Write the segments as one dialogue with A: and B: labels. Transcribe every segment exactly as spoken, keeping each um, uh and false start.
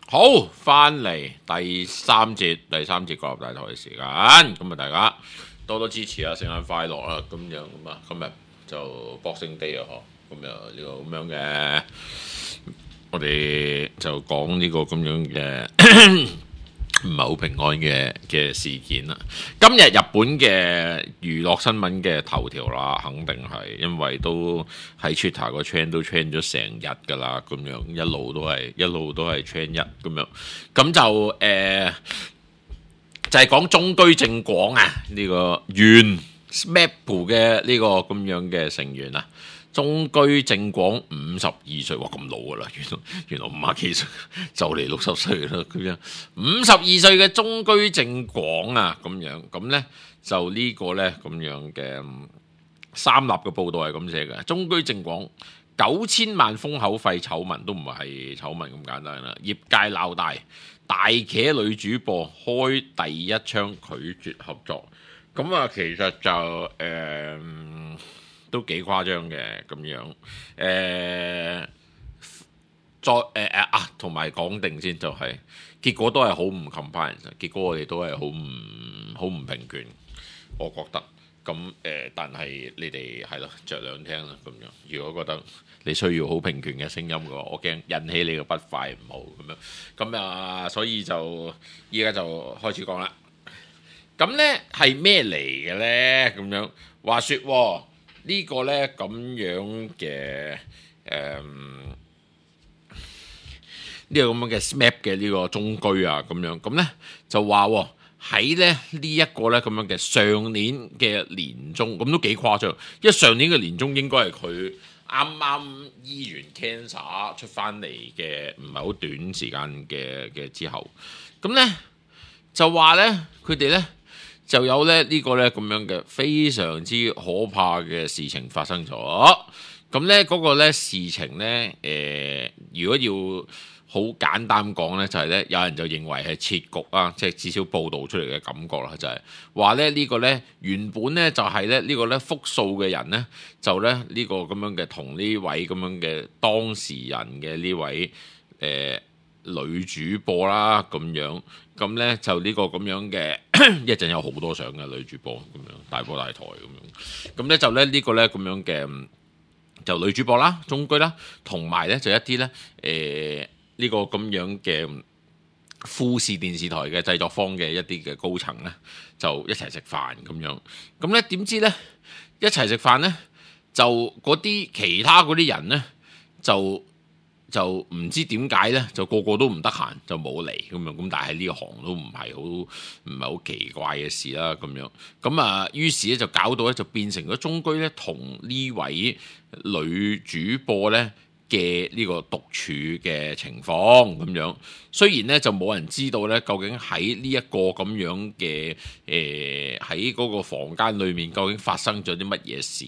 A: 好，翻嚟第三節，第三節國立大台嘅時間，咁啊大家多多支持啊，聖誕快樂啊，咁樣咁啊，今日就 Boxing Day 啊，嗬，咁啊呢個咁樣嘅，我哋就講呢個咁樣嘅唔係好平安嘅嘅事件啦。今日日本嘅娛樂新聞嘅頭條啦，肯定係因為都喺 Twitter 個 trend 都 trend 咗成日㗎啦，咁樣一路都係一路都係 trend 一咁樣，咁就誒、呃、就係、是、講中居正廣啊呢、這個原 S M A P 嘅呢個咁樣嘅成員啊。中居正廣五十二歲，哇咁老㗎啦，原來原來五十幾歲就嚟六十歲啦，咁樣五十二歲嘅中居正廣啊，咁樣咁咧就呢個咧咁樣嘅三立嘅報道係咁寫嘅，中居正廣九千萬封口費醜聞都唔係醜聞咁簡單啦，業界鬧大，大茄女主播開第一槍拒絕合作，咁啊其實就誒。呃都幾誇張嘅咁樣，誒、呃，再誒誒啊，同埋講定先就係、是，結果都係好唔 compliant，結果我哋都係好唔好唔平權，我覺得，咁誒、呃，但係你哋係咯，着兩聽啦咁樣。如果覺得你需要好平權嘅聲音嘅話，我驚引起你嘅不快唔好咁樣，咁啊，所以就依家就開始講啦。咁咧係咩嚟嘅咧？咁樣話説喎。呢個呢咁樣嘅誒，呢個咁樣嘅 S M A P 嘅呢個中居啊，咁樣咁呢就話喺咧呢一個呢咁樣嘅上年嘅年中，咁都幾誇張，因為上年嘅年中應該係佢啱啱醫完 cancer 出翻嚟嘅，唔係好短時間嘅嘅之後，咁呢就話呢，佢哋呢。就有咧呢個咧咁樣嘅非常之可怕嘅事情發生咗。咁咧嗰個咧事情咧，誒、呃，如果要好簡單講咧，就係、是、咧有人就認為係設局啊，即係至少報導出嚟嘅感覺啦，就係話咧呢個咧原本咧就係咧呢個咧複數嘅人咧，就咧呢個咁樣嘅同呢位咁樣嘅當事人嘅呢位誒。呃女主播啦咁樣，咁咧就呢個咁樣嘅一陣有好多相嘅女主播咁樣，大波大台咁樣，咁咧就咧呢個咧咁樣嘅就女主播啦、中居啦，同埋咧就一啲咧誒呢個咁樣嘅富士電視台嘅製作方嘅一啲嘅高層咧，就一齊食飯咁樣，咁咧點知咧一齊食飯咧就嗰啲其他嗰啲人咧就。就唔知點解咧，就個個都唔得閒，就冇嚟咁樣。咁但係呢行都唔係好唔係好奇怪嘅事啦，咁樣。咁啊，於是咧就搞到咧就變成咗中居咧同呢位女主播咧嘅呢個獨處嘅情況咁樣。雖然咧就冇人知道咧究竟喺呢一個咁樣嘅誒喺嗰個房間裏面究竟發生咗啲乜嘢事。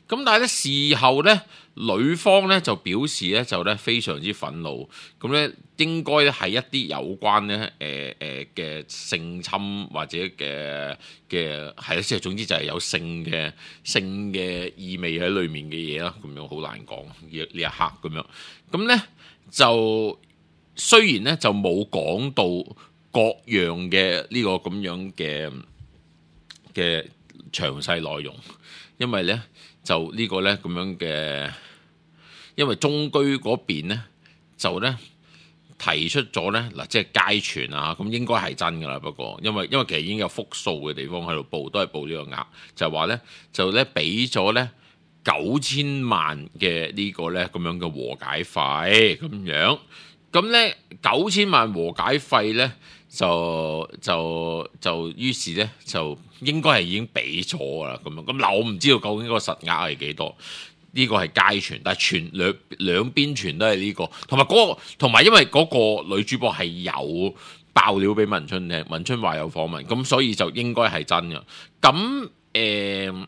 A: 咁但係咧事後咧。女方咧就表示咧就咧非常之憤怒，咁咧應該咧係一啲有關咧誒誒嘅性侵或者嘅嘅係啦，即係總之就係有性嘅性嘅意味喺裡面嘅嘢啦，咁樣好難講呢呢一刻咁樣，咁咧就雖然咧就冇講到各樣嘅呢個咁樣嘅嘅詳細內容，因為咧就呢個咧咁樣嘅。因為中居嗰邊咧就咧提出咗咧嗱，即係街傳啊，咁應該係真㗎啦。不過因為因為其實已經有複數嘅地方喺度報，都係報呢個額，就係話咧就咧俾咗咧九千萬嘅呢個咧咁樣嘅和解費咁樣，咁咧九千萬和解費咧就就就於是咧就應該係已經俾咗㗎啦。咁樣咁嗱，我唔知道究竟個實額係幾多。呢個係街傳，但係傳兩兩邊傳都係呢個，同埋嗰個，同埋因為嗰個女主播係有爆料俾文春聽，文春話有訪問，咁所以就應該係真嘅。咁誒，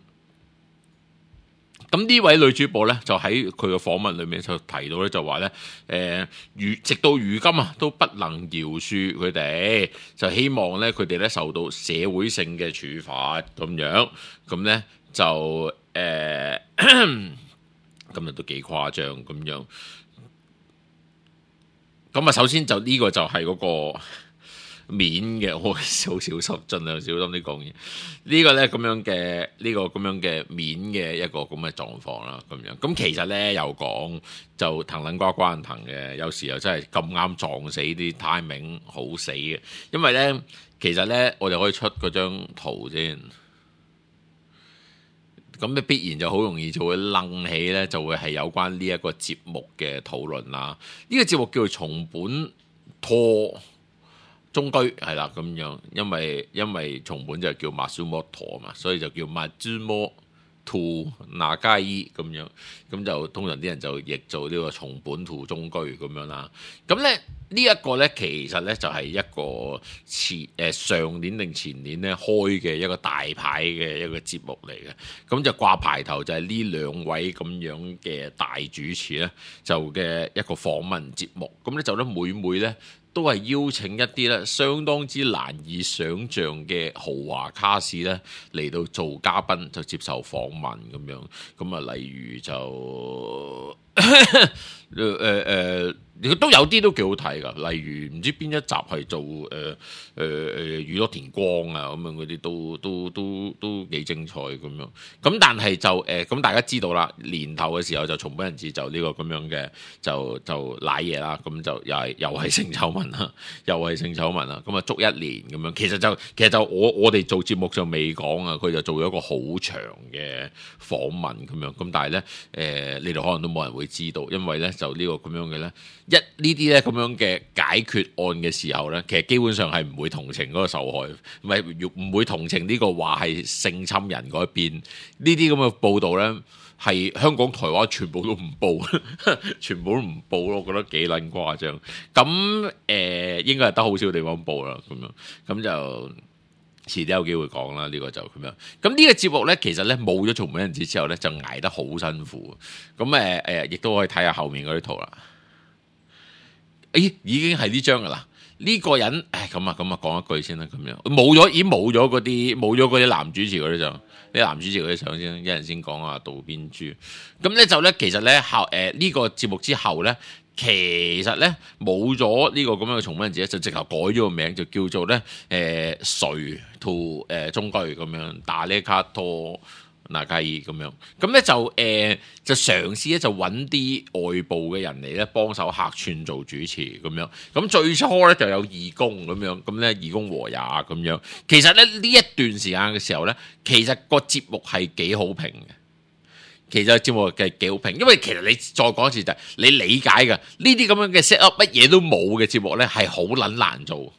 A: 咁呢位女主播咧，就喺佢嘅訪問裏面就提到咧，就話咧誒，如直到如今啊，都不能饒恕佢哋，就希望咧佢哋咧受到社會性嘅處罰咁樣，咁咧就誒。呃今日都幾誇張咁樣，咁啊，首先就呢個就係嗰個面嘅，我好小心，盡量小心啲講嘢。呢個咧咁樣嘅呢個咁樣嘅面嘅一個咁嘅狀況啦，咁樣。咁其實咧又講就騰撚瓜瓜騰嘅，有時又真係咁啱撞死啲 timing 好死嘅，因為咧其實咧我哋可以出嗰張圖先。咁咧必然就好容易就會愣起咧，就會係有關呢一個節目嘅討論啦。呢、這個節目叫做松本拓中居係啦，咁樣，因為因為松本就叫 Matsumoto 嘛，所以就叫 Matsumoto Nagai 咁樣，咁就通常啲人就譯做呢個松本拓中居咁樣啦。咁咧呢一個咧其實咧就係一個前誒、呃、上年定前年咧開嘅一個大牌嘅一個節目嚟嘅，咁就掛牌頭就係呢兩位咁樣嘅大主持咧就嘅一個訪問節目，咁咧就咧每每咧都係邀請一啲咧相當之難以想像嘅豪華卡士咧嚟到做嘉賓，就接受訪問咁樣。咁啊，例如就誒誒誒，都有啲都幾好睇㗎。例如唔知邊一集係做誒誒誒宇多田光啊咁樣嗰啲，都都都都幾精彩咁樣。咁但係就誒咁、呃、大家知道啦，年頭嘅時候就松本人志就呢個咁樣嘅就就瀨嘢啦，咁就又係又係性醜聞啦，又係性醜聞啦。咁啊捉一年咁樣，其實就其實就我我哋做節目就未講啊，佢就做咗一個好長嘅訪問咁樣。咁但係咧誒，你哋可能都冇人會知道，因為咧就呢個咁樣嘅咧，一呢啲咧咁樣嘅解決案嘅時候咧，其實基本上係唔會同情嗰個受害，唔係唔會同情呢個話係性侵人嗰一邊。呢啲咁嘅報導咧，係香港、台灣全部都唔報，全部都唔報咯。我覺得幾撚誇張。咁誒、呃、應該係得好少地方報啦，咁樣咁就遲啲有機會講啦。呢、這個就咁樣。咁呢個節目咧，其實咧冇咗松本人志之後咧，就捱得好辛苦。咁誒誒，亦都可以睇下後面嗰啲圖啦。咦，已經係呢張噶啦？呢、這個人，誒咁啊咁啊，講一句先啦，咁樣冇咗，已經冇咗嗰啲冇咗嗰啲男主持嗰啲相，啲男主持嗰啲相先，一陣先講啊，渡邊珠。咁咧就咧，其實咧後誒呢個節目之後咧，其實咧冇咗呢個咁樣嘅松本人志，就直頭改咗個名，就叫做咧誒誰兔誒中居咁樣，打呢卡拖。嗱，介意咁樣，咁咧就誒、呃、就嘗試咧就揾啲外部嘅人嚟咧幫手客串做主持咁樣，咁最初咧就有義工咁樣，咁咧義工和也咁樣。其實咧呢一段時間嘅時候咧，其實個節目係幾好評嘅。其實個節目係幾好評，因為其實你再講一次就係、是、你理解嘅呢啲咁樣嘅 set up 乜嘢都冇嘅節目咧係好撚難做。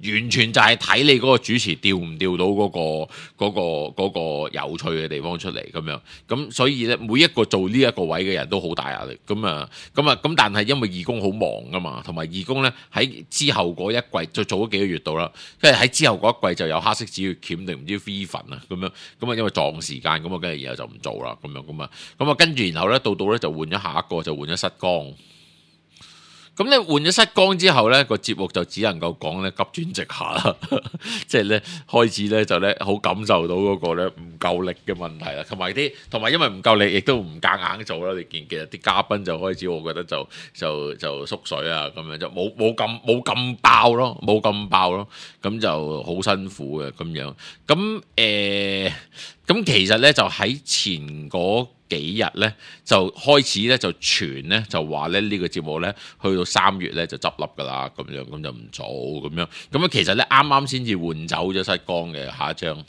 A: 完全就係睇你嗰個主持調唔調到嗰、嗰個嗰、嗰個嗰個有趣嘅地方出嚟咁樣，咁所以咧每一個做呢一個位嘅人都好大壓力，咁啊咁啊咁，但係因為義工好忙噶嘛，同埋義工咧喺之後嗰一季就做咗幾個月度啦，跟住喺之後嗰一季就有黑色止血鉗定唔知 V 粉啊咁樣，咁啊因為撞時間咁啊，跟住然後就唔做啦咁樣咁啊，咁啊跟住然後咧到到咧就換咗下一個就換咗失光。咁咧換咗失光之後咧，個節目就只能夠講咧急轉直下啦，即係咧開始咧就咧好感受到嗰個咧唔夠力嘅問題啦，同埋啲同埋因為唔夠力，亦都唔夾硬做啦。你見其實啲嘉賓就開始，我覺得就就就縮水啊，咁樣就冇冇咁冇咁爆咯，冇咁爆咯，咁就好辛苦嘅咁樣。咁誒，咁、呃、其實咧就喺前嗰幾日咧就開始咧就傳咧就話咧呢個節目咧去到三月咧就執笠噶啦，咁樣咁就唔做咁樣，咁樣其實咧啱啱先至換走咗失光嘅下一張，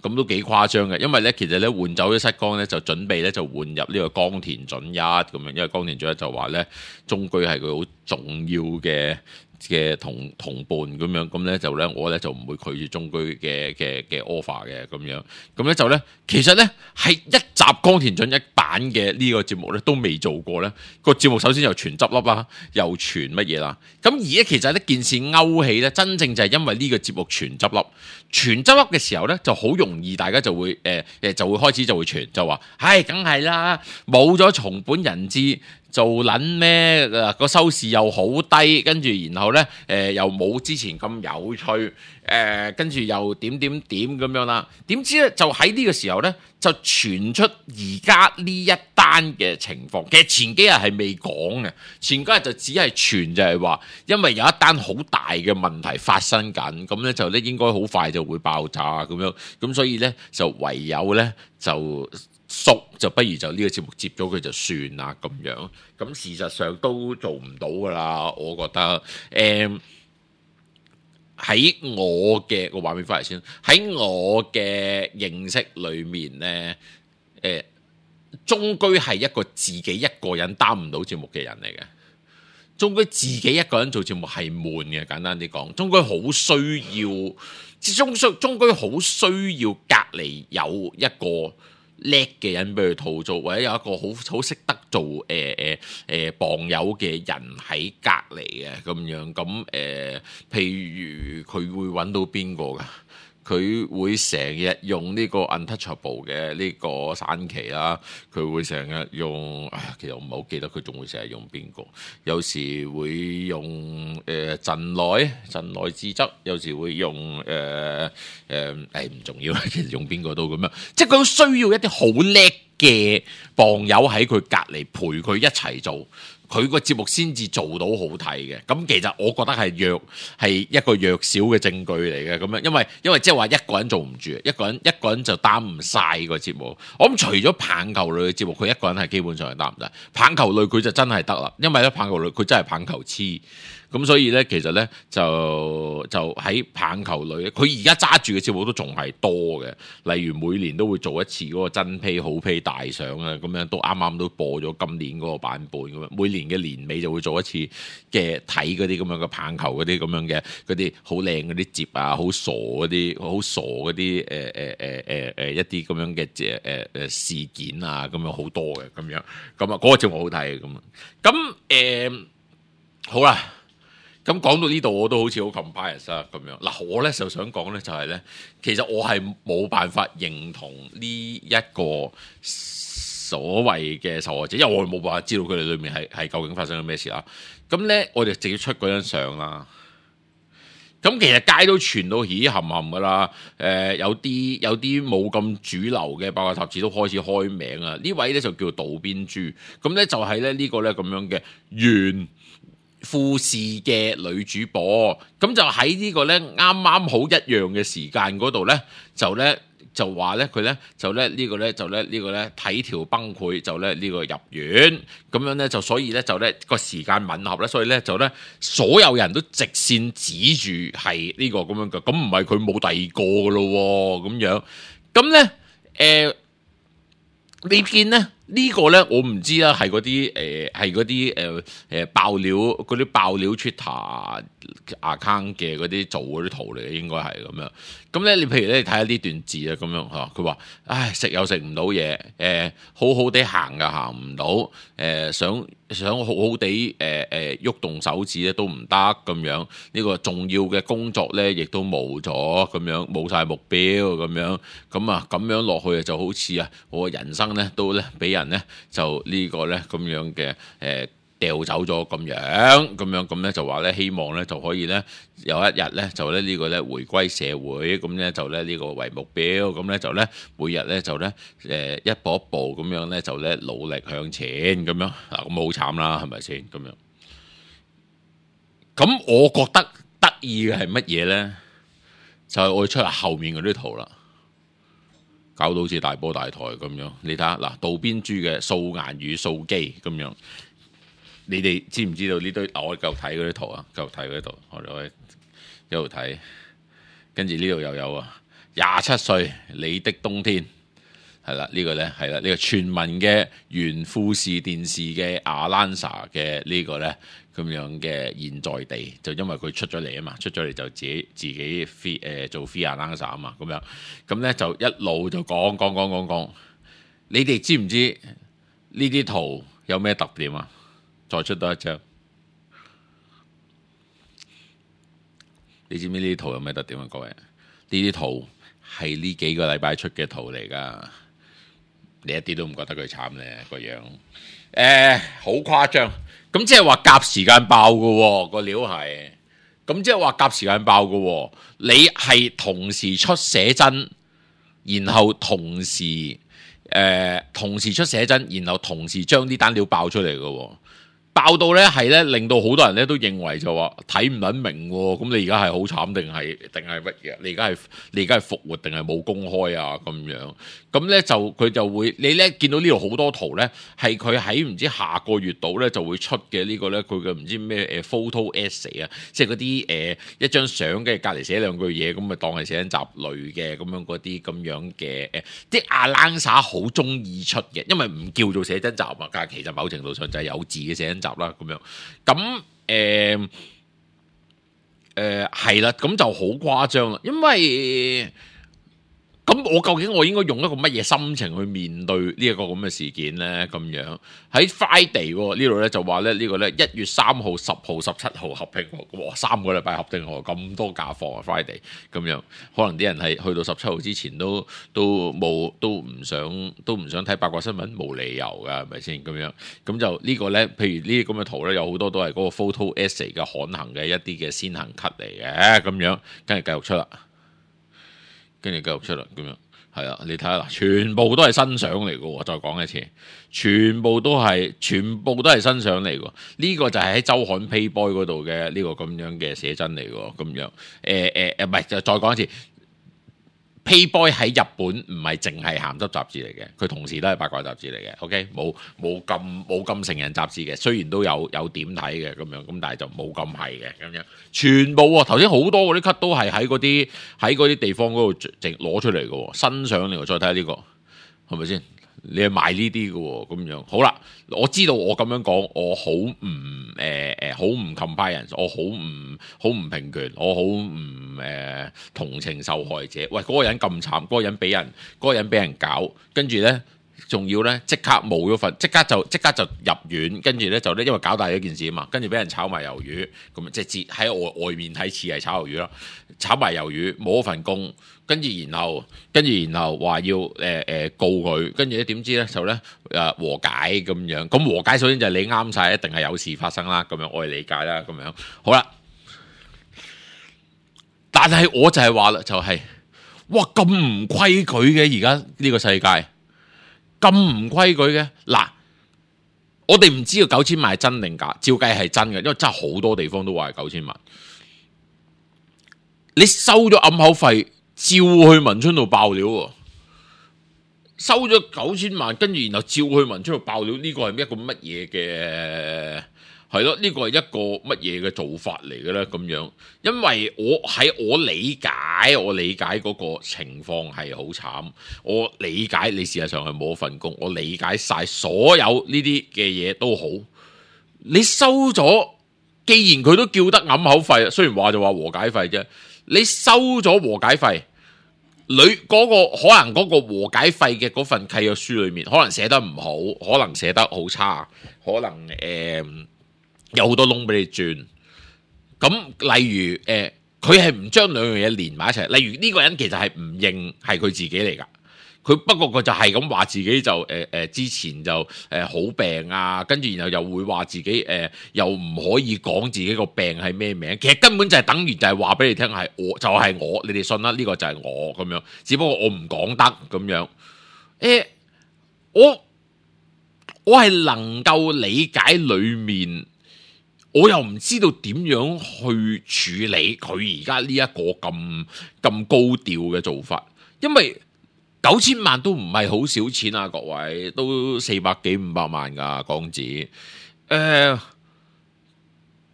A: 咁都幾誇張嘅，因為咧其實咧換走咗失光咧就準備咧就換入呢個岡田准一咁樣，因為岡田准一就話咧中居係佢好重要嘅嘅同同伴咁樣，咁咧就咧我咧就唔會拒絕中居嘅嘅嘅 offer 嘅咁樣，咁咧就咧其實咧係一集岡田准一版嘅呢個節目咧都未做過咧，個節目首先又傳執笠啦，又傳乜嘢啦，咁而家其實呢件事勾起咧，真正就係因為呢個節目傳執笠，傳執笠嘅時候咧就好容易大家就會誒誒、呃、就會開始就會傳就話，唉梗係啦，冇咗松本人志做撚咩？個收視又好低，跟住然後咧誒、呃、又冇之前咁有趣，誒誒跟住又點點點咁樣啦。點知咧就喺呢個時候咧就傳出而家呢一單嘅情況。其實前幾日係未講嘅，前幾日就只係傳就係話，因為有一單好大嘅問題發生緊，咁咧就咧應該好快就會爆炸咁樣，咁所以咧就唯有咧就縮，就不如就呢個節目接咗佢就算啦咁樣。咁事實上都做唔到噶啦，我覺得誒。喺我嘅個畫面翻嚟先，喺我嘅認識裏面呢，誒、呃，終居係一個自己一個人擔唔到節目嘅人嚟嘅。終居自己一個人做節目係悶嘅，簡單啲講，終居好需要，終終終居好需要隔離有一個叻嘅人俾佢吐槽，或者有一個好好識得做誒誒誒傍友嘅人喺隔離嘅咁樣，咁誒、呃，譬如佢會揾到邊個㗎？佢會成日用呢個 untouchable 嘅呢個山崎啦，佢會成日用，唉，其實我唔係好記得佢仲會成日用邊個，有時會用誒陣內陣內之則，有時會用誒誒誒唔重要，其實用邊個都咁樣，即係佢需要一啲好叻嘅傍友喺佢隔離陪佢一齊做。佢個節目先至做到好睇嘅，咁其實我覺得係弱係一個弱小嘅證據嚟嘅咁樣，因為因為即係話一個人做唔住，一個人一個人就擔唔晒個節目。我諗除咗棒球類嘅節目，佢一個人係基本上係擔唔晒。棒球類佢就真係得啦，因為咧棒球類佢真係棒球痴。咁所以咧，其實咧就就喺棒球類，佢而家揸住嘅節目都仲係多嘅。例如每年都會做一次嗰個真披好披大賞啊，咁樣都啱啱都播咗今年嗰個版本咁樣。每年嘅年尾就會做一次嘅睇嗰啲咁樣嘅棒球嗰啲咁樣嘅嗰啲好靚嗰啲節啊，好傻嗰啲好傻嗰啲誒誒誒誒誒一啲咁樣嘅誒誒誒事件啊，咁樣好多嘅咁樣。咁啊嗰個節目好睇嘅咁啊。咁誒、呃、好啦。咁講到呢度我都好似好 compare 啊咁樣。嗱，我咧就想講咧就係咧，其實我係冇辦法認同呢一個所謂嘅受害者，因為我冇辦法知道佢哋裏面係係究竟發生咗咩事啦。咁咧我哋直接出嗰張相啦。咁其實街都傳到起冚冚噶啦。誒、呃、有啲有啲冇咁主流嘅八卦雜誌都開始開名啊。呢位咧就叫渡邊珠，咁咧就係咧呢個咧咁樣嘅原富士嘅女主播，咁就喺呢個咧啱啱好一樣嘅時間嗰度咧，就咧就話咧佢咧就咧呢個咧就咧呢個咧體調崩潰，就咧呢個入院咁樣咧，就所以咧就咧個時間吻合咧，所以咧就咧所有人都直線指住係呢個咁樣嘅，咁唔係佢冇第二個嘅咯咁樣，咁咧誒你見咧？呢個咧我唔知啦，係嗰啲誒係嗰啲誒誒爆料嗰啲爆料 Twitter account 嘅嗰啲做嗰啲圖嚟嘅，應該係咁樣。咁咧你譬如咧你睇下呢段字啊，咁樣嚇，佢話唉食又食唔到嘢，誒、呃、好好地行又行唔到，誒、呃、想想好好地誒誒喐動手指咧都唔得咁樣。呢、這個重要嘅工作咧亦都冇咗咁樣，冇晒目標咁樣。咁啊咁樣落去就好似啊我嘅人生咧都咧俾人咧就呢個咧咁樣嘅誒掉走咗咁樣咁樣咁咧就話咧希望咧就可以咧有一日咧就咧呢個咧回歸社會，咁咧就咧呢個為目標，咁咧就咧每日咧就咧誒一步一步咁樣咧就咧努力向前咁樣嗱，咁好慘啦係咪先咁樣？咁我覺得得意嘅係乜嘢咧？就係我出嚟後面嗰啲圖啦。搞到好似大波大台咁樣，你睇下嗱，渡邊珠嘅素顏與素肌咁樣，你哋知唔知道呢堆？我繼續睇嗰啲圖啊，繼續睇嗰啲圖，我哋可以一路睇，跟住呢度又有啊，廿七歲你的冬天係啦，呢個咧係啦，呢個全民嘅原富士電視嘅阿蘭莎嘅呢個咧咁樣嘅現在地，就因為佢出咗嚟啊嘛，出咗嚟就自己自己 free 誒做 free 阿蘭莎啊嘛，咁樣咁咧就一路就講講講講講，你哋知唔知呢啲圖有咩特點啊？再出多一張，你知唔知呢啲圖有咩特點啊？各位，呢啲圖係呢幾個禮拜出嘅圖嚟噶。你一啲都唔覺得佢慘咧個樣，誒好誇張，咁即係話夾時間爆嘅喎個料係，咁即係話夾時間爆嘅喎，你係同時出寫真，然後同時誒、呃、同時出寫真，然後同時將啲單料爆出嚟嘅喎。爆到咧係咧，令到好多人咧都認為就話睇唔撚明喎。咁你而家係好慘定係定係乜嘢？你而家係你而家係復活定係冇公開啊？咁樣咁咧就佢就會你咧見到呢度好多圖咧，係佢喺唔知下個月度咧就會出嘅呢個咧，佢嘅唔知咩誒 photo essay 啊，即係嗰啲誒一張相嘅隔離寫兩句嘢，咁咪當係寫真集類嘅咁樣嗰啲咁樣嘅誒，啲阿冷灑好中意出嘅，因為唔叫做寫真集啊，但係其實某程度上就係有字嘅寫真集啦，咁樣，咁誒誒係啦，咁就好誇張啦，因為咁我究竟我應該用一個乜嘢心情去面對呢一個咁嘅事件咧？咁樣喺 Friday 呢度咧就話咧呢個咧一月三號、十號、十七號合併，哇三個禮拜合併喎，咁多假放啊 Friday 咁樣，可能啲人係去到十七號之前都都冇都唔想都唔想睇八卦新聞，冇理由㗎係咪先咁樣？咁就呢個咧，譬如呢啲咁嘅圖咧，有好多都係嗰個 photo essay 嘅刊行嘅一啲嘅先行 cut 嚟嘅咁樣，跟住繼續出啦。跟住繼續出啦，咁樣係啊！你睇下啦，全部都係新相嚟嘅喎。再講一次，全部都係全部都係新相嚟嘅。呢、這個就係喺週刊 Playboy 嗰度嘅呢個咁樣嘅寫真嚟嘅，咁樣誒誒誒，唔係就再講一次。Playboy 喺日本唔係淨係鹹濕雜誌嚟嘅，佢同時都係八卦雜誌嚟嘅。OK，冇冇咁冇咁成人雜誌嘅，雖然都有有點睇嘅咁樣，咁但係就冇咁係嘅咁樣。全部喎，頭先好多嗰啲 cut 都係喺嗰啲喺嗰啲地方嗰度直攞出嚟嘅喎，新相嚟喎。再睇下呢個係咪先？你係賣呢啲嘅喎，咁樣好啦。我知道我咁樣講，我好唔誒誒，好唔 compliance，我好唔好唔平權，我好唔誒同情受害者。喂，嗰、嗰個人咁慘，嗰、嗰個人俾人嗰、嗰個人俾人搞，跟住咧仲要咧即刻冇咗份，即刻就即刻就入院，跟住咧就咧因為搞大咗件事啊嘛，跟住俾人炒埋魷魚，咁即係喺外外面睇似係炒魷魚啦，炒埋魷魚冇咗份工。跟住然後，跟住然後話要誒誒、呃、告佢，跟住咧點知咧就咧誒、呃、和解咁樣。咁和解首先就係你啱晒，一定係有事發生啦。咁樣我係理解啦。咁樣好啦，但係我就係話啦，就係、是、哇咁唔規矩嘅，而家呢個世界咁唔規矩嘅。嗱，我哋唔知道九千萬係真定假，照計係真嘅，因為真係好多地方都話係九千萬。你收咗暗口費，照去文春度爆料喎，收咗九千萬，跟住然後照去文春度爆料，呢個係一個乜嘢嘅？係咯，呢個係一個乜嘢嘅做法嚟嘅咧？咁樣，因為我喺我理解，我理解嗰個情況係好慘，我理解你事實上係冇份工，我理解晒所有呢啲嘅嘢都好，你收咗，既然佢都叫得揞口費，雖然話就話和解費啫。你收咗和解費，裏嗰個可能嗰個和解費嘅嗰份契約書裏面，可能寫得唔好，可能寫得好差，可能誒、呃、有好多窿俾你轉。咁例如誒，佢係唔將兩樣嘢連埋一齊。例如呢個人其實係唔認係佢自己嚟㗎。佢不過佢就係咁話自己就誒誒、呃、之前就誒、呃、好病啊，跟住然後又會話自己誒、呃、又唔可以講自己個病係咩名，其實根本就係等於就係話俾你聽係我就係、是、我，你哋信啦，呢、這個就係我咁樣，只不過我唔講得咁樣。誒、欸，我我係能夠理解裏面，我又唔知道點樣去處理佢而家呢一個咁咁高調嘅做法，因為九千萬都唔係好少錢啊，各位都四百幾五百萬噶港紙，誒、呃，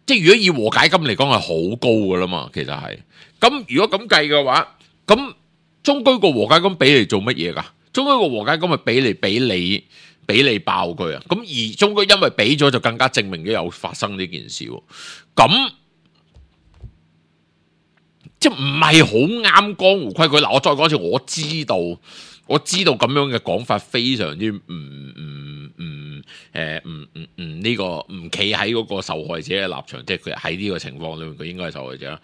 A: 即係如果以和解金嚟講係好高噶啦嘛，其實係。咁如果咁計嘅話，咁中居個和解金俾嚟做乜嘢噶？中居個和解金咪俾嚟俾你俾你爆佢啊？咁而中居因為俾咗就更加證明咗有發生呢件事，咁。即係唔係好啱江湖規矩嗱，我再講一次，我知道我知道咁樣嘅講法非常之唔唔唔誒唔唔唔呢個唔企喺嗰個受害者嘅立場，即係佢喺呢個情況裏面佢應該係受害者啦，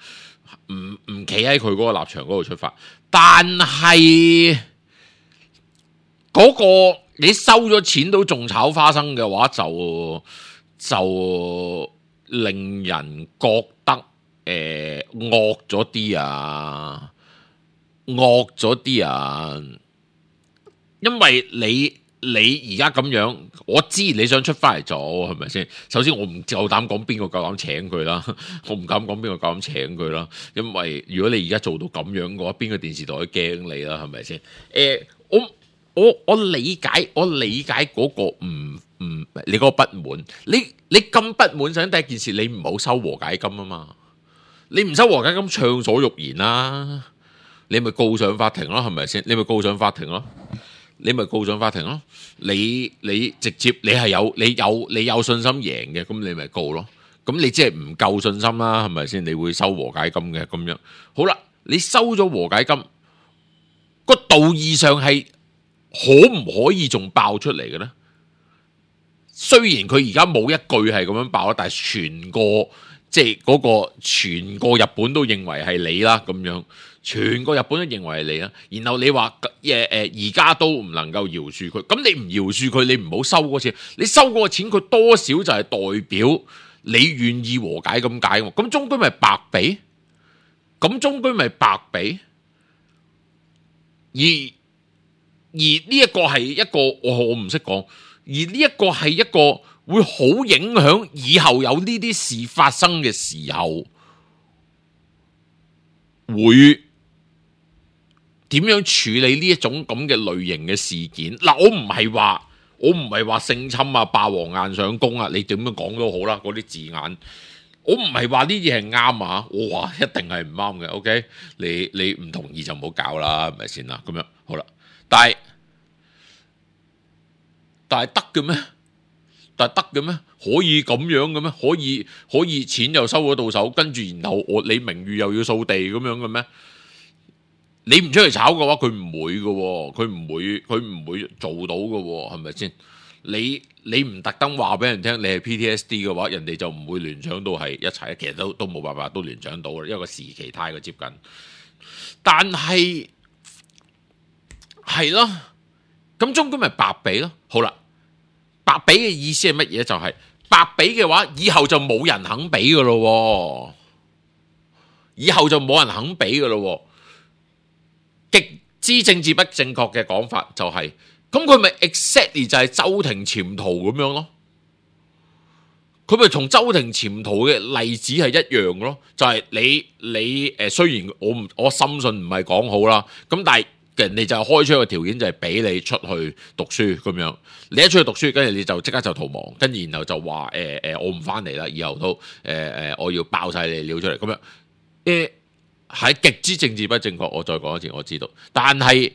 A: 唔唔企喺佢嗰個立場嗰度出發，但係嗰個你收咗錢都仲炒花生嘅話，就就令人覺得。誒惡咗啲啊，惡咗啲啊，因為你你而家咁樣，我知你想出翻嚟做係咪先？首先我唔夠膽講邊個夠膽請佢啦，我唔敢講邊個夠膽請佢啦，因為如果你而家做到咁樣嘅話，邊個電視台都驚你啦，係咪先？誒、呃，我我我理解，我理解嗰個唔唔，你嗰個不滿，你你咁不滿，首先第一件事，你唔好收和解金啊嘛，你唔收和解金，暢所欲言啦，你咪告上法庭咯，係咪先？你咪告上法庭咯。你咪告上法庭咯，你你直接你係有你有你有信心贏嘅，咁你咪告咯。咁你即係唔夠信心啦，係咪先？你會收和解金嘅咁樣。好啦，你收咗和解金，個道義上係可唔可以仲爆出嚟嘅咧？雖然佢而家冇一句係咁樣爆啦，但係全個即係嗰個全個日本都認為係你啦，咁樣。全個日本都認為係你啦，然後你話誒誒而家都唔能夠饒恕佢，咁你唔饒恕佢，你唔好收嗰錢，你收嗰個錢佢多少就係代表你願意和解咁解喎，咁終歸咪白俾，咁終歸咪白俾，而而呢一個係一個我我唔識講，而呢一個係一個會好影響以後有呢啲事發生嘅時候會點樣處理呢一種咁嘅類型嘅事件？嗱，我唔係話，我唔係話性侵啊、霸王硬上弓啊，你點樣講都好啦，嗰啲字眼，我唔係話呢啲係啱啊，我話一定係唔啱嘅。OK，你你唔同意就唔好搞啦，係咪先啦？咁樣好啦，但係但係得嘅咩？但係得嘅咩？可以咁樣嘅咩？可以可以錢又收咗到手，跟住然後我你名譽又要掃地咁樣嘅咩？你唔出去炒嘅話，佢唔會嘅，佢唔會，佢唔會做到嘅，係咪先？你你唔特登話俾人聽，你係 P T S D 嘅話，人哋就唔會聯想到係一齊，其實都都冇辦法都聯想到嘅，因為個時期太過接近。但係係咯，咁終歸咪白俾咯。好啦，白俾嘅意思係乜嘢？就係、是、白俾嘅話，以後就冇人肯俾嘅咯，以後就冇人肯俾嘅咯。極之政治不正確嘅講法就係、是，咁佢咪 exactly 就係周庭潛逃咁樣咯？佢咪同周庭潛逃嘅例子係一樣咯？就係、是、你你誒，雖然我唔我深信唔係講好啦，咁但係人哋就開出個條件就係俾你出去讀書咁樣，你一出去讀書，跟住你就即刻就逃亡，跟住然後就話誒誒，我唔翻嚟啦，以後都誒誒、呃，我要爆晒你料出嚟咁樣誒。呃係極之政治不正確，我再講一次，我知道。但係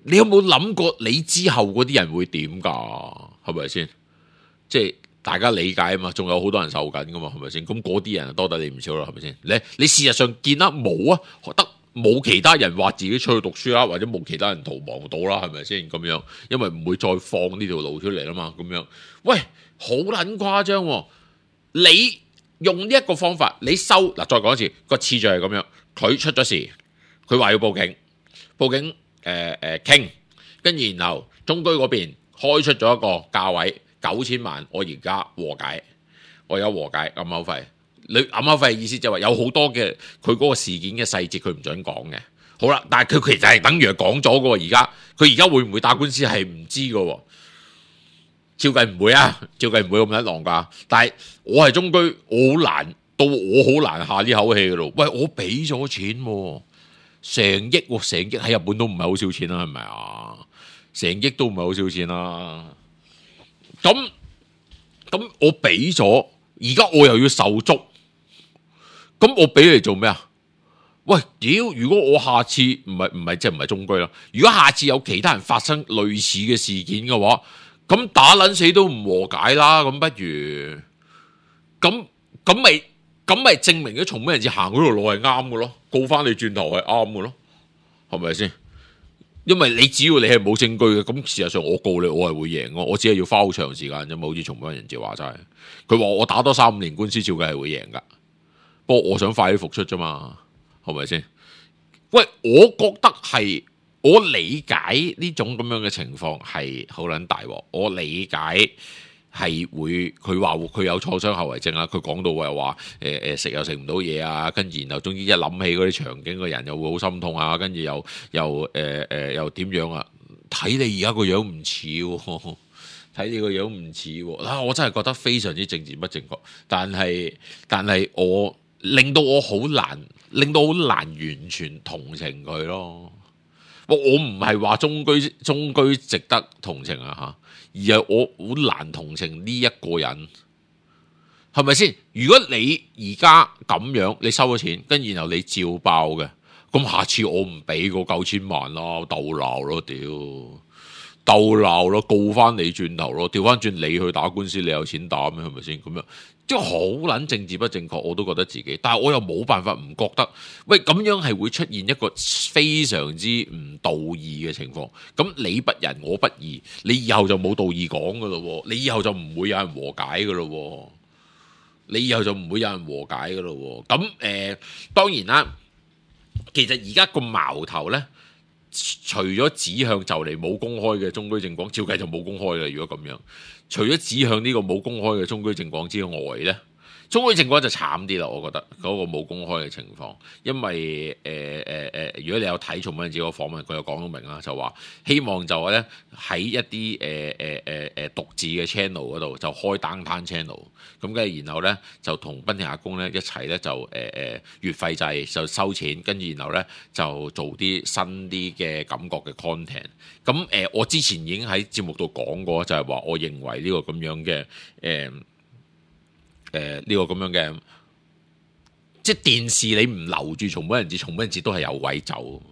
A: 你有冇諗過你之後嗰啲人會點噶？係咪先？即係大家理解啊嘛，仲有好多人受緊噶嘛，係咪先？咁嗰啲人多得你唔少啦，係咪先？你你事實上見得冇啊，得冇其他人話自己出去讀書啦，或者冇其他人逃亡到啦，係咪先？咁樣，因為唔會再放呢條路出嚟啦嘛，咁樣。喂，好撚誇張喎！你用呢一個方法，你收嗱，再講一次個次序係咁樣，佢出咗事，佢話要報警，報警誒誒傾，跟住然後中居嗰邊開出咗一個價位九千萬，我而家和解，我有和解暗口費，你暗口費嘅意思就係話有好多嘅佢嗰個事件嘅細節佢唔準講嘅，好啦，但係佢其實係等於係講咗嘅喎，而家佢而家會唔會打官司係唔知嘅喎。照計唔會啊，照計唔會咁一浪㗎。但係我係中居，我好難到我好難下呢口氣㗎咯。喂，我俾咗錢喎，成億喎，成億喺日本都唔係好少錢啦，係咪啊？成億都唔係好少錢啦。咁咁我俾咗，而家我又要受足，咁我俾你做咩啊？喂，屌！如果我下次唔係唔係即係唔係中居啦，如果下次有其他人發生類似嘅事件嘅話，咁打撚死都唔和解啦，咁不如咁咁咪咁咪證明咗從咩人至行嗰條路係啱嘅咯，告翻你轉頭係啱嘅咯，係咪先？因為你只要你係冇證據嘅，咁事實上我告你我係會贏嘅，我只係要花好長時間啫嘛，好似從咩人至話齋，佢話我打多三五年官司照計係會贏噶，不過我想快啲復出啫嘛，係咪先？喂，我覺得係。我理解呢種咁樣嘅情況係好撚大鑊，我理解係會佢話佢有創傷後遺症啊，佢講到又話誒誒食又食唔到嘢啊，跟住然後總之一諗起嗰啲場景，個人又會好心痛啊，跟住又又誒誒、呃、又點樣啊？睇你而家個樣唔似喎，睇你個樣唔似喎，啊！我真係覺得非常之政治不正確，但係但係我令到我好難，令到好難完全同情佢咯。我我唔係話中居中居值得同情啊嚇，而係我好難同情呢一個人，係咪先？如果你而家咁樣，你收咗錢，跟然後你照爆嘅，咁下次我唔俾個九千萬咯，鬥鬧咯，屌，鬥鬧咯，告翻你轉頭咯，調翻轉你去打官司，你有錢打咩？係咪先？咁樣即係好撚政治不正確，我都覺得自己，但係我又冇辦法唔覺得，喂，咁樣係會出現一個非常之唔道義嘅情況。咁你不仁我不義，你以後就冇道義講噶咯，你以後就唔會有人和解噶咯，你以後就唔會有人和解噶咯。咁誒、呃，當然啦。其實而家個矛頭呢，除咗指向就嚟冇公開嘅中居正廣，照計就冇公開嘅。如果咁樣，除咗指向呢個冇公開嘅中居正廣之外呢，中居正廣就慘啲啦。我覺得嗰個冇公開嘅情況，因為誒誒誒，如果你有睇重溫子個訪問，佢又講到明啦，就話希望就咧喺一啲誒誒誒誒獨自嘅 channel 嗰度就開 downtown channel，咁跟住然後咧就同濱田雅功咧一齊咧就誒誒、呃、月費制就收錢，跟住然後咧就做啲新啲嘅感覺嘅 content。咁誒、呃，我之前已經喺節目度講過，就係、是、話我認為呢個咁樣嘅誒。呃誒呢、呃這個咁樣嘅，即係電視你唔留住松本人志，松本人志都係有位走。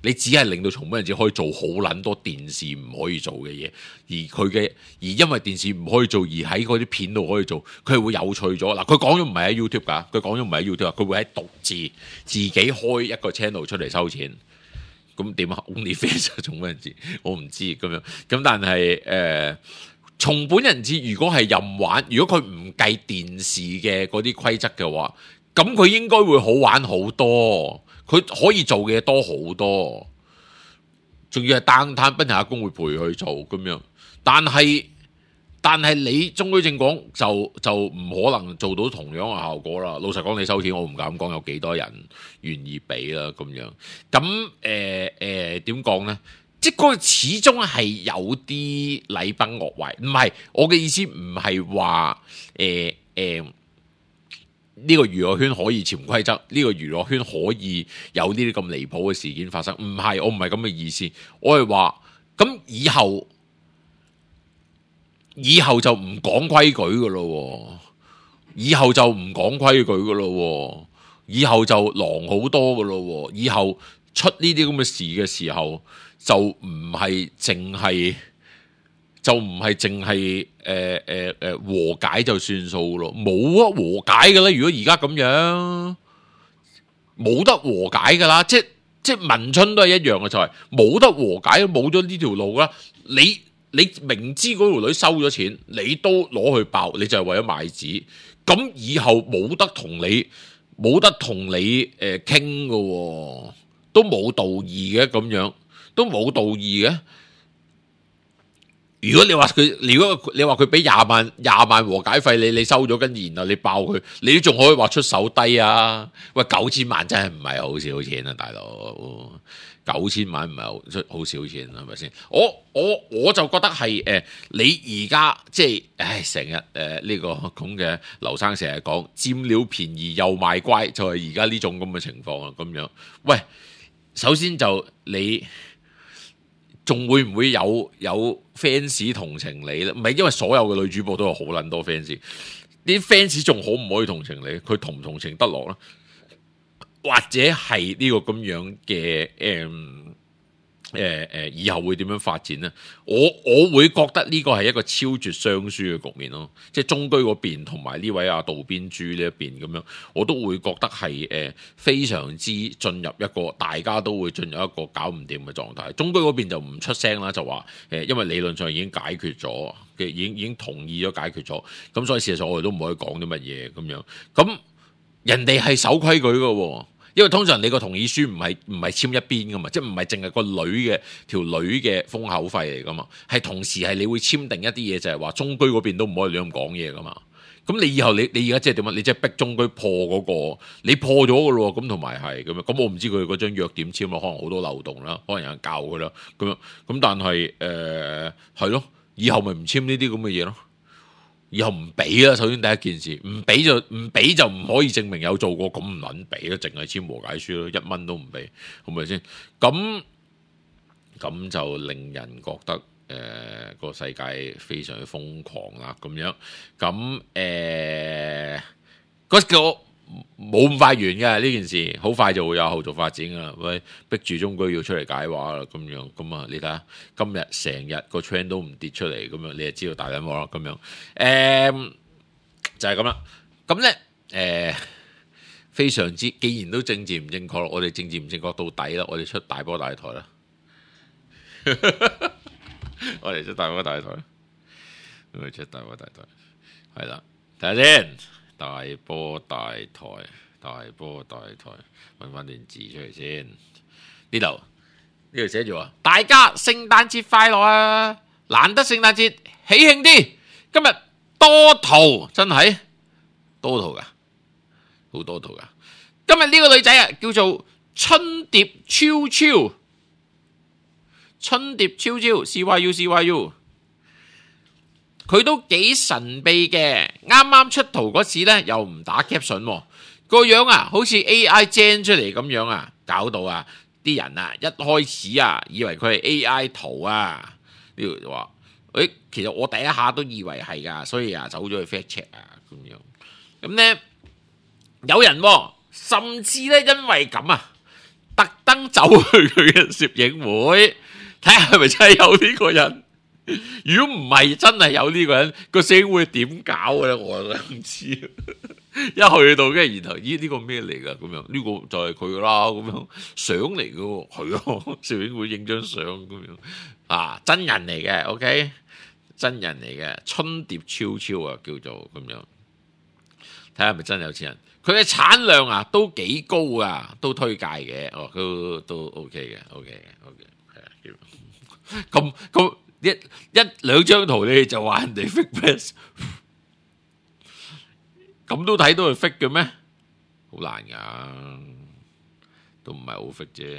A: 你只係令到松本人志可以做好撚多電視唔可以做嘅嘢，而佢嘅而因為電視唔可以做，而喺嗰啲片度可以做，佢係會有趣咗。嗱，佢講咗唔係喺 YouTube 㗎，佢講咗唔係喺 YouTube，佢會喺獨自自己開一個 channel 出嚟收錢。咁點啊 ？OnlyFans 松本人志，我唔知咁樣。咁但係誒。呃松本人志如果係任玩，如果佢唔計電視嘅嗰啲規則嘅話，咁佢應該會好玩好多，佢可以做嘅嘢多好多，仲要係單攤濱田雅功會陪佢做咁樣。但係但係你中居正廣就就唔可能做到同樣嘅效果啦。老實講，你收錢，我唔敢講有幾多人願意俾啦咁樣。咁誒誒點講呢？即係嗰個始終係有啲禮崩樂壞，唔係我嘅意思，唔係話誒誒呢個娛樂圈可以潛規則，呢個娛樂圈可以有呢啲咁離譜嘅事件發生，唔係，我唔係咁嘅意思，我係話咁以後以後就唔講規矩噶咯，以後就唔講規矩噶咯，以後就狼好多噶咯，以後出呢啲咁嘅事嘅時候。就唔係淨係，就唔係淨係誒誒誒和解就算數咯，冇啊和解嘅啦。如果而家咁樣，冇得和解噶啦，即即文春都係一樣嘅，就係、是、冇得和解，冇咗呢條路啦。你你明知嗰條女收咗錢，你都攞去爆，你就係為咗賣紙。咁以後冇得同你冇得同你誒傾嘅，都冇道義嘅咁樣。都冇道義嘅。如果你話佢，如果你話佢俾廿萬廿萬和解費你，你收咗跟住然後你爆佢，你都仲可以話出手低啊！喂，九千萬真係唔係好少錢啊，大佬！九千萬唔係好出好少錢，係咪先？我我我就覺得係誒、呃，你而家即係，唉，成日誒呢個咁嘅劉生成日講佔了便宜又賣乖，就係而家呢種咁嘅情況啊，咁樣。喂，首先就你。仲會唔會有有 fans 同情你咧？唔係，因為所有嘅女主播都有好撚多 fans，啲 fans 仲可唔可以同情你？佢同唔同情得落咧？或者係呢個咁樣嘅誒誒誒，以後會點樣發展呢？我我會覺得呢個係一個超絕雙輸嘅局面咯，即係中居嗰邊同埋呢位阿渡邊珠呢一邊咁樣，我都會覺得係誒、呃、非常之進入一個大家都會進入一個搞唔掂嘅狀態。中居嗰邊就唔出聲啦，就話誒、呃，因為理論上已經解決咗嘅，已經已經同意咗解決咗，咁所以事實上我哋都唔可以講啲乜嘢咁樣。咁人哋係守規矩嘅喎。因為通常你個同意書唔係唔係簽一邊噶嘛，即係唔係淨係個女嘅條女嘅封口費嚟噶嘛，係同時係你會簽訂一啲嘢，就係話中居嗰邊都唔可以亂咁講嘢噶嘛。咁你以後你你而家即係點啊？你即係逼中居破嗰、嗰個，你破咗噶咯，咁同埋係咁樣。咁我唔知佢嗰張約點簽咯，可能好多漏洞啦，可能有人教佢啦，咁樣。咁但係誒係咯，以後咪唔簽呢啲咁嘅嘢咯。以後唔俾啦，首先第一件事，唔俾就唔俾就唔可以證明有做過，咁唔撚俾啦，淨係簽和解書咯，一蚊都唔俾，係咪先？咁咁就令人覺得。誒、呃個世界非常之瘋狂啦，咁樣咁誒嗰個冇咁快完嘅呢件事，好快就會有後續發展噶啦。喂，逼住中居要出嚟解話啦，咁樣咁啊，你睇下今日成日個 trend 都唔跌出嚟，咁樣你就知道大緊鑊啦。咁樣誒、呃、就係咁啦。咁咧誒非常之，既然都政治唔正確，我哋政治唔正確到底啦，我哋出大波大台啦。我哋出大波大台，我哋出大波大台，係啦，睇下先，大波大台，大波大台，搵翻段字出嚟先。呢度呢度寫住話，大家聖誕節快樂啊！難得聖誕節，喜慶啲。今日多圖真係多圖噶，好多圖噶。今日呢個女仔啊，叫做春蝶超超。春蝶超超 C Y U C Y U， 佢都幾神秘嘅。啱啱出圖嗰時咧，又唔打 caption，個樣啊，好似 A I gen 出嚟咁樣啊，搞到啊啲人啊一開始啊以為佢係 A I 圖啊，呢度就話，誒，其實我第一下都以為係噶，所以啊走咗去 fact check 啊咁樣。咁咧有人、啊、甚至咧因為咁啊，特登走去佢嘅攝影會。睇下係咪真係有呢個人？如果唔係真係有呢個人，個社會點搞嘅咧？我都唔知。一去到跟住然後，咦呢個咩嚟噶？咁樣呢個就係佢啦。咁樣相嚟嘅喎，係咯，攝影會影張相咁樣啊，真人嚟嘅 ，OK， 真人嚟嘅，春蝶超超啊，叫做咁樣。睇下係咪真有錢人？佢嘅產量啊都幾高啊，都推介嘅。哦，都都 OK 嘅 ，OK 嘅 ，OK。咁咁一一兩張圖你就話人哋 fake press， 咁都睇到係 fake 嘅咩？好難噶，都唔係好 fake 啫。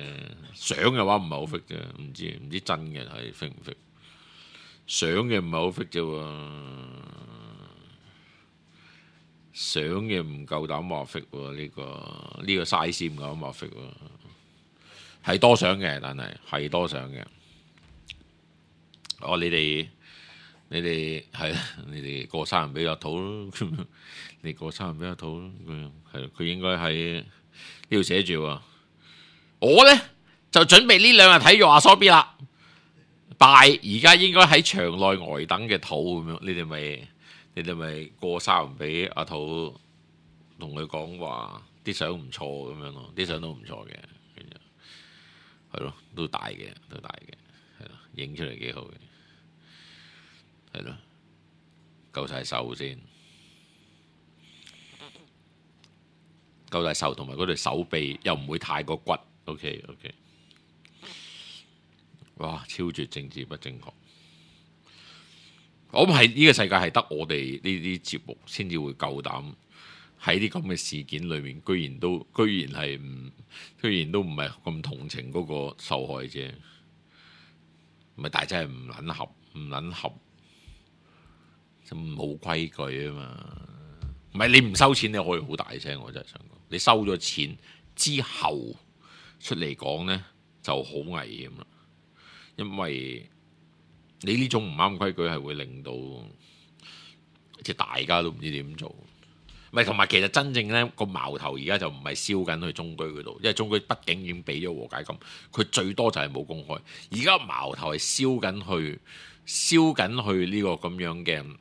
A: 相嘅話唔係好 fake 啫，唔知唔知真嘅係 fake 唔 fake？ 相嘅唔係好 fake 啫喎，相嘅唔夠膽話 fake 喎。呢個呢個 size 唔夠膽話 fake 喎，係多相嘅，但係係多相嘅。哦，你哋你哋係啦，你哋過生日俾阿土咯，你過生日俾阿土咯，係佢應該喺呢度寫住喎。我咧就準備呢兩日睇《阿 B》啦，拜而家應該喺場內呆等嘅土咁樣，你哋咪你哋咪過生日俾阿土，同佢講話啲相唔錯咁樣咯，啲相都唔錯嘅，係咯，都大嘅，都大嘅，係咯，影出嚟幾好嘅。係咯，夠晒手先，夠晒手，同埋嗰對手臂又唔會太過骨。OK OK， 哇，超絕政治不正確。我諗係呢個世界係得我哋呢啲節目先至會夠膽喺啲咁嘅事件裏面，居然都居然係唔，居然都唔係咁同情嗰個受害者。唔係，大真係唔撚合，唔撚合。冇規矩啊嘛，唔係你唔收錢你可以好大聲，我真係想講，你收咗錢之後出嚟講呢就好危險啦，因為你呢種唔啱規矩係會令到即係大家都唔知點做，唔係同埋其實真正呢個矛頭而家就唔係燒緊去中居嗰度，因為中居畢竟已經俾咗和解金，佢最多就係冇公開，而家矛頭係燒緊去燒緊去呢個咁樣嘅。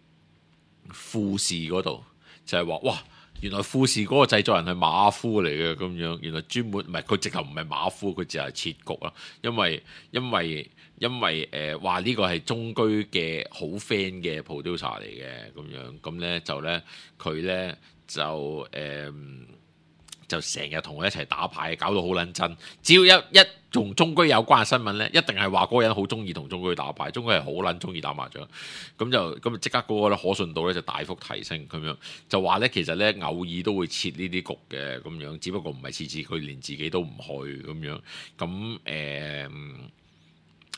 A: 富士嗰度就係話，哇！原來富士嗰個製作人係馬夫嚟嘅咁樣，原來專門唔係佢直頭唔係馬夫，佢只係設局啦。因為因為因為誒話呢個係中居嘅好 friend 嘅 producer 嚟嘅咁樣，咁咧就咧佢咧就誒就成日同佢一齊打牌，搞到好撚真。只要一一同中居有關嘅新聞咧，一定係話嗰個人好中意同中居打牌，中居係好撚中意打麻將。咁就咁即刻嗰個咧可信度咧就大幅提升咁樣。就話咧其實咧偶爾都會設呢啲局嘅咁樣，只不過唔係次次佢連自己都唔去咁樣。咁誒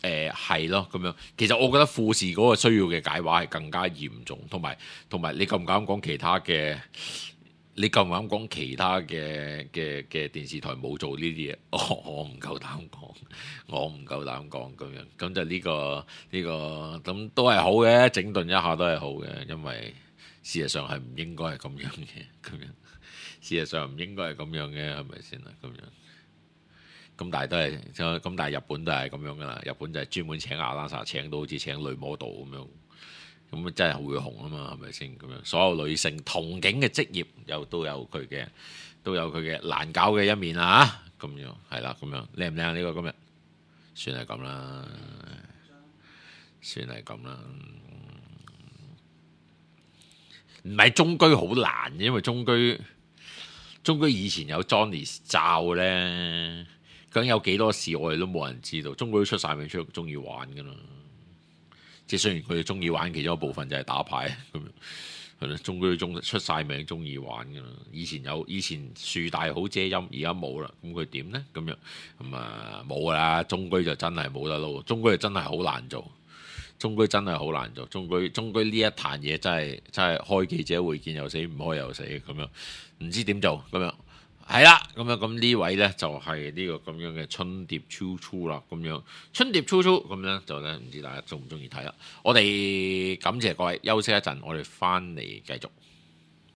A: 誒係咯咁樣。其實我覺得富士嗰個需要嘅解話係更加嚴重，同埋同埋你夠唔夠膽講其他嘅？你夠唔夠膽講其他嘅嘅嘅電視台冇做呢啲嘢？我我唔夠膽講，我唔夠膽講咁樣。咁就呢個呢個咁都係好嘅，整頓一下都係好嘅，因為事實上係唔應該係咁樣嘅，咁樣事實上唔應該係咁樣嘅，係咪先啊？咁樣咁但係都係咁，但係日本都係咁樣噶啦。日本就係專門請阿拉薩，請到好似請女 model 咁樣。咁真係會紅啊嘛，係咪先咁樣？所有女性同境嘅職業又都有佢嘅，都有佢嘅難搞嘅一面啊！咁樣係啦，咁樣靚唔靚呢個今日？算係咁啦，算係咁啦。唔係中居好難，因為中居中居以前有 Johnny 罩咧，究竟有幾多事我哋都冇人知道。中居都出晒名，出中意玩噶啦。即係雖然佢哋中意玩，其中一部分就係打牌咁樣，係咯。中居中出晒名，中意玩㗎啦。以前有，以前樹大好遮陰，而家冇啦。咁佢點咧？咁樣咁啊冇㗎啦。中居就真係冇得撈，中居就真係好難做。中居真係好難做。中居中居呢一壇嘢真係真係開記者會見又死，唔開又死咁樣，唔知點做咁樣。係啦，咁樣咁呢位咧就係、是、呢個咁樣嘅春碟超粗啦，咁樣春碟超粗咁樣就咧唔知大家中唔中意睇啦。我哋感謝各位，休息一陣，我哋翻嚟繼續。